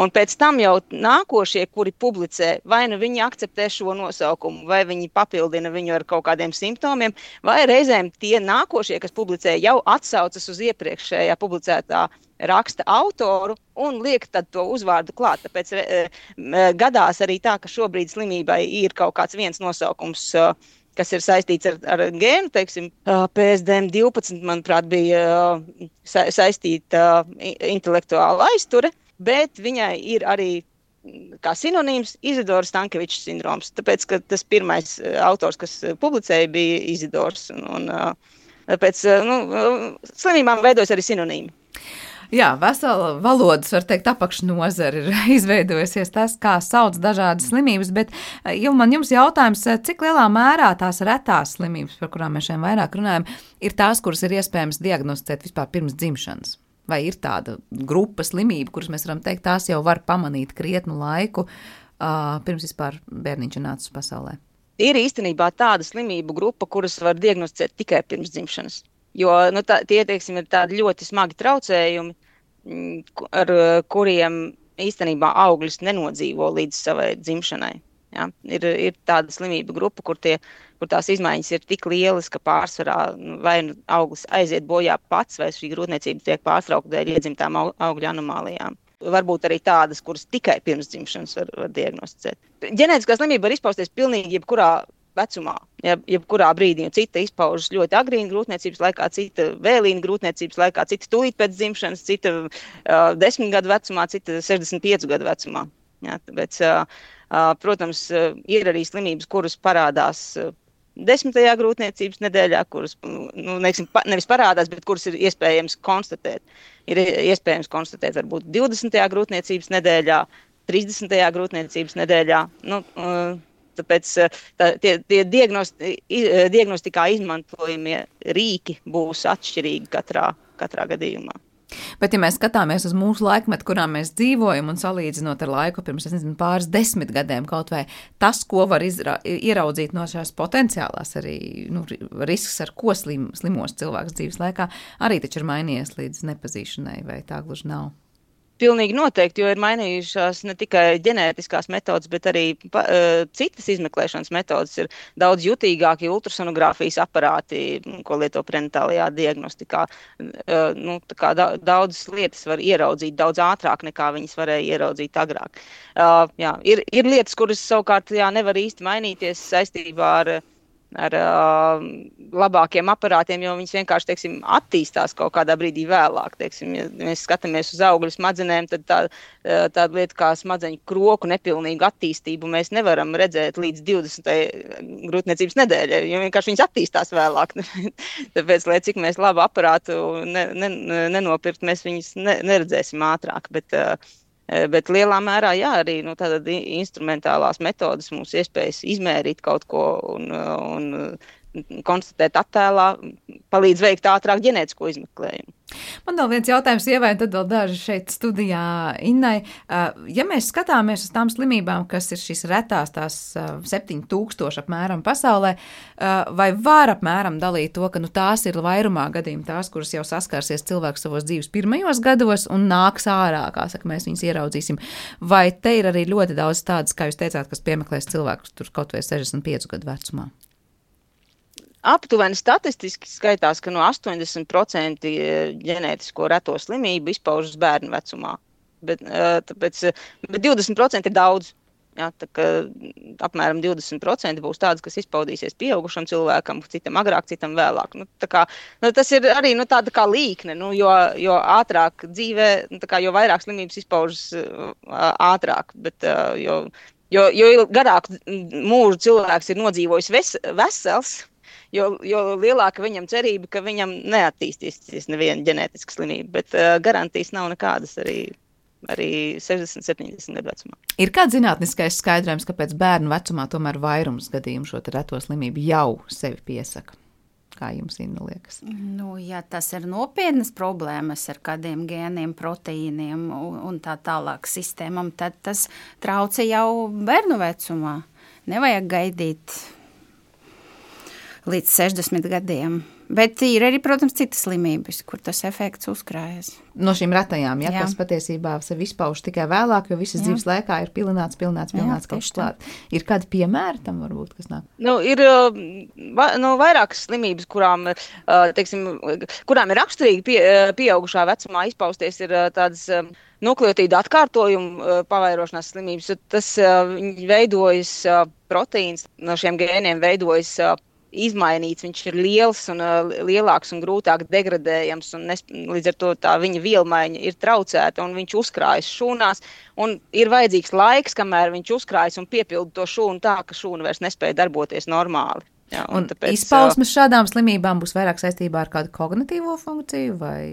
Un pēc tam jau nākošie, kuri publicē, vai nu viņi akceptē šo nosaukumu, vai viņi papildina viņu ar kaut kādiem simptomiem, vai reizēm tie nākošie, kas publicē, jau atsaucas uz iepriekšējā publicētā raksta autoru un liek tad to uzvārdu klāt. Tāpēc gadās arī tā, ka šobrīd slimībai ir kaut kāds viens nosaukums, kas ir saistīts ar gēnu, teiksim, PSDM12, manuprāt, bija saistīta intelektuāla aizture, bet viņai ir arī kā sinonīms Izidora Stankeviča sindroms, tāpēc, ka tas pirmais autors, kas publicēja, bija Izidors, un tāpēc, slimībām veidojas arī sinonīmi. Jā, vesela valodas, var teikt, apakšnozara ir izveidojusies tas, kā sauc dažādas slimības, bet jums jautājums, cik lielā mērā tās retās slimības, par kurām mēs šeit vairāk runājam, ir tās, kuras ir iespējams diagnosticēt vispār pirms dzimšanas? Vai ir tāda grupa slimība, kuras mēs varam teikt, tās jau var pamanīt krietnu laiku, pirms vispār bērniņš ir nācis pasaulē? Ir īstenībā tāda slimību grupa, kuras var diagnosticēt tikai pirms dzimšanas. Jo tie, teiksim, ir tādi ļoti smagi traucējumi, ar kuriem īstenībā auglis nenodzīvo līdz savai dzimšanai. Ja? Ir tāda slimība grupa, kur tās izmaiņas ir tik lielas, ka pārsvarā vai auglis aiziet bojā pats, vai šī grūtniecība tiek pārtraukta dēļ iedzimtām augļu anomālijām. Varbūt arī tādas, kuras tikai pirms dzimšanas var diagnosticēt. Ģenētiskā slimība var izpausties pilnīgi jebkurā vecumā, jebkurā brīdī, un cita izpaužas ļoti agrīna grūtniecības laikā, cita vēlīna grūtniecības laikā, cita tūlīt pēc dzimšanas, cita 10 gadu vecumā, cita 65 gadu vecumā. Jā, tāpēc, protams, ir arī slimības, kuras parādās 10. grūtniecības nedēļā, kuras, nevis parādās, bet kuras ir iespējams konstatēt. Ir iespējams konstatēt varbūt 20. grūtniecības nedēļā, 30. grūtniecības nedēļā. Tāpēc tie diagnostikā izmantojamie rīki būs atšķirīgi katrā gadījumā. Bet, ja mēs skatāmies uz mūsu laikmetu, kurā mēs dzīvojam un salīdzinot ar laiku pirms, pāris 10 gadiem kaut vai tas, ko var ieraudzīt no šās potenciālās arī risks, ar ko slimos cilvēks dzīves laikā, arī taču ir mainījies līdz nepazīšanai, vai tā gluži nav? Pilnīgi noteikti, jo ir mainījušās ne tikai ģenētiskās metodas, bet arī citas izmeklēšanas metodas. Ir daudz jutīgāki ultrasonogrāfijas aparāti, ko lieto prenatālajā diagnostikā. Daudzas lietas var ieraudzīt daudz ātrāk, nekā viņas varēja ieraudzīt agrāk. Ir lietas, kuras savukārt nevar īsti mainīties saistībā ar labākiem aparātiem, jo viņas vienkārši, teiksim, attīstās kaut kādā brīdī vēlāk. Teiksim, ja mēs skatāmies uz augļu smadzenēm, tad tāda lieta kā smadzeņu kroku nepilnīgu attīstību mēs nevaram redzēt līdz 20. grūtniecības nedēļai, jo vienkārši viņas attīstās vēlāk. Tāpēc, lai cik mēs labu aparātu nenopirkt, mēs viņas neredzēsim ātrāk, bet lielā mērā, arī tātad instrumentālās metodas mums iespējas izmērīt kaut ko un konstatēt attēlā, palīdz veikt ātrāk ģenētisko izmeklējumu. Man vēl viens jautājums Ievai, un tad vēl daži šeit studijā Innai. Ja mēs skatāmies uz tām slimībām, kas ir šīs retās, tās 7000 apmēram pasaulē, vai var apmēram dalīt to, ka tās ir vairumā gadījumi tās, kuras jau saskarsies cilvēks savos dzīves pirmajos gados un nāks ārā, kā saka, mēs viņus ieraudzīsim. Vai te ir arī ļoti daudz tādas, kā jūs teicāt, kas piemeklēs cilvēkus tur kaut vai 65 gadu vecumā? Aptuveni statistiski skaitās, ka no 80% ģenētisko reto slimību izpaužas bērnu vecumā. Bet 20% ir daudz. Jā, tā kā apmēram 20% būs tādas, kas izpaudīsies pieaugušam cilvēkam, citam agrāk, citam vēlāk. Tas ir arī tāda kā līkne, jo ātrāk dzīvē, jo vairāk slimības izpaužas ātrāk, bet jo garāk mūžu cilvēks ir nodzīvojis vesels, jo lielāka viņam cerība, ka viņam neattīstīsies neviena ģenētiska slimība, bet garantijas nav nekādas arī 60-70 gadu vecumā. Ir kāds zinātniskais skaidrojums, kāpēc bērnu vecumā tomēr vairums gadījumu šo reto slimību jau sevi piesaka? Kā jums, Inna, liekas? Ja tas ir nopietnas problēmas ar kādiem gēniem, proteīniem un tā tālāk sistēmam, tad tas traucē jau bērnu vecumā. Nevajag gaidīt līdz 60 gadiem. Bet ir arī, protams, citas slimības, kur tas efekts uzkrājas. No šīm retajām, kas patiesībā sevi izpauž tikai vēlāk, jo visas dzīves laikā ir pilnāts kaut kas klāt. Ir kādi piemēri tam varbūt, kas nāk? Ir vairākas slimības, kurām ir raksturīgi pieaugušā vecumā izpausties, ir tādas nukleotīdu atkārtojumu pavairošanās slimības. Tas veidojas proteīns, no šiem gēniem veidojas izmainīts, viņš ir liels un lielāks un grūtāk degradējams, un līdz ar to tā viņa vielmaiņa ir traucēta, un viņš uzkrājas šūnās, un ir vajadzīgs laiks, kamēr viņš uzkrājas un piepilda to šūnu tā, ka šūna vairs nespēja darboties normāli. Jā, un tāpēc, izpausmes šādām slimībām būs vairāk saistībā ar kādu kognitīvo funkciju vai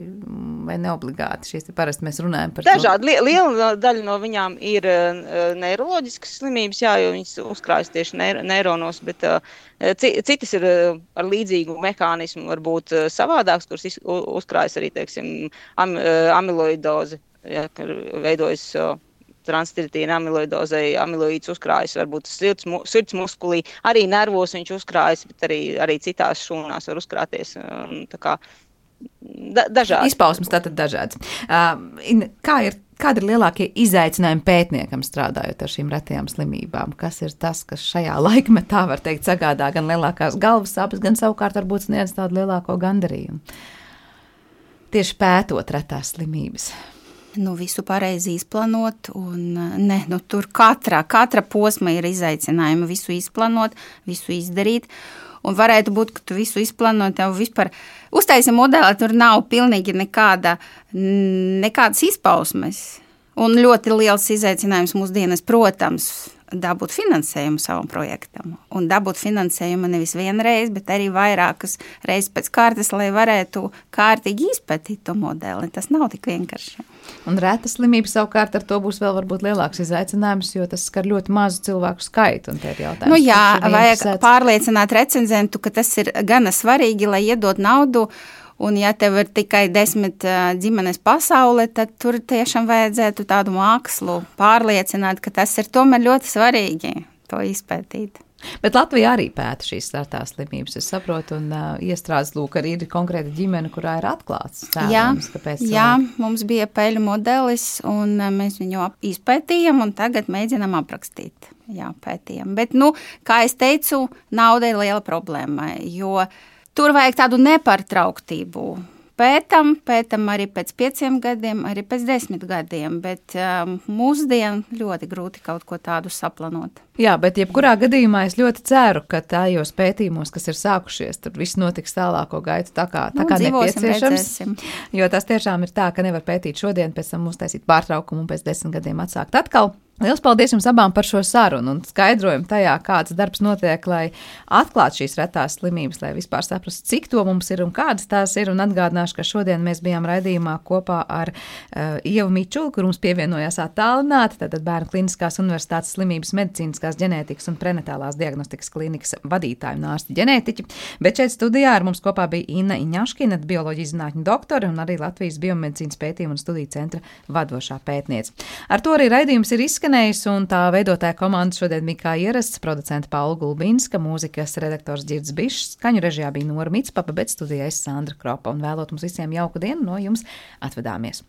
neobligāti? Šīs parasti mēs runājam par dažādi. Liela daļa no viņām ir neiroloģiskas slimības, jo viņas uzkrājas tieši neironos, bet citas ir ar līdzīgu mehānismu, varbūt savādāks, kuras uzkrājas arī, teiksim, amiloidoze, kad veidojas transtiritīna amiloidozei, amiloīds uzkrājas varbūt sirds muskulī, arī nervos viņš uzkrājas, bet arī citās šūnās var uzkrāties. Dažādi. Izpausmes tātad dažādas. Kādi ir lielākie izaicinājumi pētniekam strādājot ar šīm retajām slimībām? Kas ir tas, kas šajā laikmetā, var teikt, sagādā gan lielākās galvas sāpes, gan savukārt varbūt sniedz tādu lielāko gandarījumu? Tieši pētot retās slimības. visu pareizi izplānot, un tur katra posma ir izaicinājuma visu izplānot, visu izdarīt, un varētu būt, ka tu visu izplānot, tev vispār uztaisi modeli, tur nav pilnīgi nekādas izpausmes, un ļoti liels izaicinājums mūsdienas, protams, dabūt finansējumu savam projektam, un dabūt finansējumu nevis vienreiz, bet arī vairākas reizes pēc kārtas, lai varētu kārtīgi izpētīt to modeli. Tas nav tik vienkārši. Un rēta slimība savukārt ar to būs vēl varbūt lielāks izaicinājums, jo tas skar ļoti mazu cilvēku skaitu, un te ir jautājums. Vajag pārliecināt recenzentu, ka tas ir gana svarīgi, lai iedot naudu, un ja tev ir tikai 10 ģimenes pasaule, tad tur tiešām vajadzētu tādu mākslu pārliecināt, ka tas ir tomēr ļoti svarīgi to izpētīt. Bet Latvija arī pēta šīs rētās slimības, es saprotu, un iestrādes arī ir konkrēta ģimene, kurā ir atklāts cēlums. Jā, mums bija peļu modelis, un mēs viņu izpētījām, un tagad mēģinām aprakstīt. Jā, pētījām. Bet, kā es teicu, nauda ir liela problēma, jo tur vajag tādu nepārtrauktību. Pētam arī pēc 5 gadiem, arī pēc 10 gadiem, bet mūsdien ļoti grūti kaut ko tādu saplānot. Jā, bet jebkurā gadījumā es ļoti ceru, ka tajos pētījumos, kas ir sākušies, tur viss notiks tālāko gaitu tā kā nepieciešams. Jo tas tiešām ir tā, ka nevar pētīt šodien, pēc tam uztaisīt pārtraukumu un pēc 10 gadiem atsākt atkal. Liels paldies jums abām par šo sarunu un skaidrojumu tajā, kāds darbs notiek, lai atklātu šīs retās slimības, lai vispār saprastu, cik to mums ir un kādas tās ir. Un atgādināšu, ka šodien mēs bijām raidījumā kopā ar Ievu Mičulu, kur mums pievienojās attālināti, tātad Bērnu Kliniskās universitātes slimības medicīniskās ģenētikas un prenatālās diagnostikas klinikas vadītāju un ārsti ģenētiķi. Bet šeit studijā ar mums kopā bija Inna Iņaškina, bioloģijas zinātņu doktori un arī Latvijas biomedicīnas pētījumu un studiju centra vadošā pētniece. Ar to arī raidījums ir izskanējis, un tā veidotāja komanda šodien bija kā ierasts, producenta Paula Gulbinska, mūzikas redaktors Ģirds Bišs, skaņu režijā bija Nora Mitspapa, bet studijā es Sandra Kropa, un vēlot mums visiem jauku dienu, no jums atvedāmies.